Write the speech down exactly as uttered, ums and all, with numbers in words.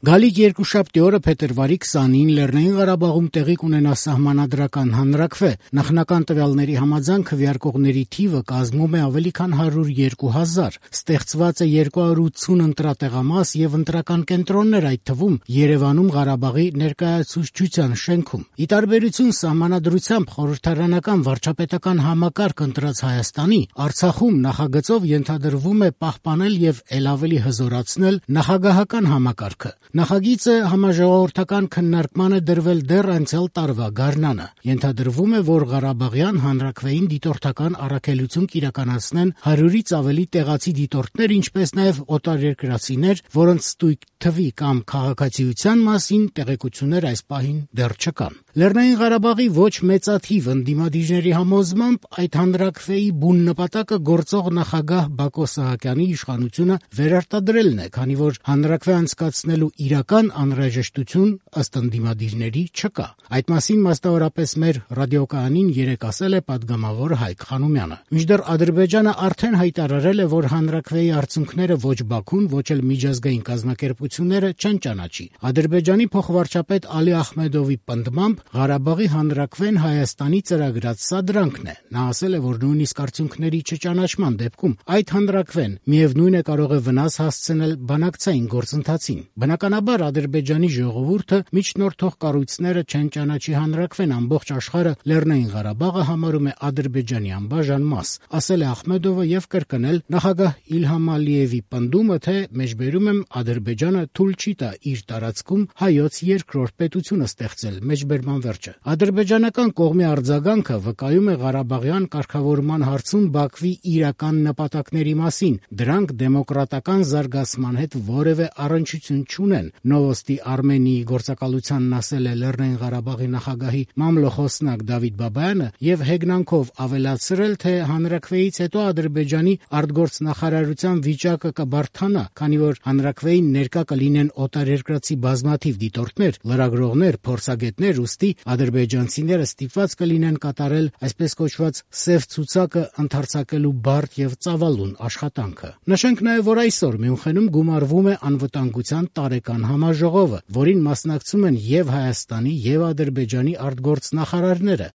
Գալիք երկուշաբթի օրը փետրվարի քսանին Լեռնային Ղարաբաղում տեղի կունենա սահմանադրական հանրաքվե։ Նախնական տվյալների համաձայն քվեարկողների թիվը կազմում է ավելի քան հարյուր երկու հազար։ Ստեղծված է երկու հարյուր ութսուն ընտրատեղամաս եւ ընտրական կենտրոններ, այդ թվում Երևանում Ղարաբաղի ներկայացուցչության շենքում։ Ի տարբերություն սահմանադրությամբ խորհրդարանական վարչապետական համակարգ ընտրած Հայաստանի, Արցախում նախագծով ենթադրվում է պահպանել եւ ել ավելի հզորացնել նախագահական համակարգը։ Նախագիծը համաժողովրդական քննարկման է դրվել դեռ անցյալ տարվա գարնանը։ Ենթադրվում է, որ Ղարաբաղյան հանրաքվեին դիտորդական առաքելություն կիրականացնեն հարյուրից ավելի տեղացի դիտորդներ, ինչպես նաև օտարերկրացիներ, որոնց ստույգ թվի կամ քաղաքացիության մասին տեղեկություններ այս պահին դեռ չկան։ Լեռնային Ղարաբաղի ոչ մեծաթիվ ընդդիմադիրների համոզմամբ այդ հանրաքվեի բուն նպատակը գործող նախագահ Բակո Սահակյանի իշխանությունը վերարտադրելն է, քանի որ հանրաքվե անցկացնելու իրական անհրաժեշտություն ըստ ընդդիմադիրների չկա։ Այդ մասին մասնավորապես մեր ռադիոկայանին երեկ ասել է պատգամավոր Հայկ Խանոմյանը։ Մինչդեռ Ադրբեջանը արդեն հայտարարել է, որ հանրաքվեի արդյունքները ոչ Բաքուն, ոչ էլ միջազգային կազմակերպությունները չեն ճանաչի։ Ադրբեջանի փոխվարչապետ Ալի Ախմեդովի պնդմամբ Ղարաբաղի հանրաքվեն Հայաստանի ծրագրած սադրանքն է։ Նա ասել է, որ նույնիսկ արդյունքների չճանաչման դեպքում այդ հանրաքվեն միևնույն է կարող է վնաս հասցնել բանակցային գործընթացին։ Բնականաբար Ադրբեջանի ժողովուրդը միջնորդող կառույցները չեն ճանաչի հանրաքվեն, ամբողջ աշխարհը Լեռնային Ղարաբաղը համարում է Ադրբեջանի անբաժան մաս, ասել է Ախմեդովը եւ կրկնել նախագահ Իլհամ Ալիևի պնդումը, թե մեջբերում եմ Ադրբեջանը թույլ չի տա իր տարածքում հայոց երկրորդ պետությունը ստեղծել։ Մեջբերման վերջը։ Ադրբեջանական կողմի արձագանքը վկայում է Ղարաբաղյան կարգավորման հարցում Բաքվի իրական նպատակների մասին։ Դրանք դեմոկրատական զարգացման հետ որևէ առնչություն չունեն։ Նովոստի Արմենիի գործակալությանն ասել է Լեռնային Ղարաբաղի նախագահի մամլոխոսնակ Դավիթ Բաբայանը եւ հեգնանքով ավելացրել, թե հանրաքվեից հետո Ադրբեջանի արտգործնախարարության վիճակը կբարդանա, քանի որ հանրաքվեին ներկա կլինեն օտարերկրացի բազմաթիվ դիտորդներ, լրագրողներ, փորձագետներ, ուստի ադրբեջանցիները ստիպված կլինեն կատարել այսպես կոչված սև ցուցակը ընդարձակելու բարդ եւ ծավալուն աշխատանքը։ Նշենք նաեւ, որ այսօր Մյունխենում գումարվում է անվտանգության տարեկան համաժողովը, որին մասնակցում են եւ Հայաստանի եւ Ադրբեջանի արտգործնախարարները։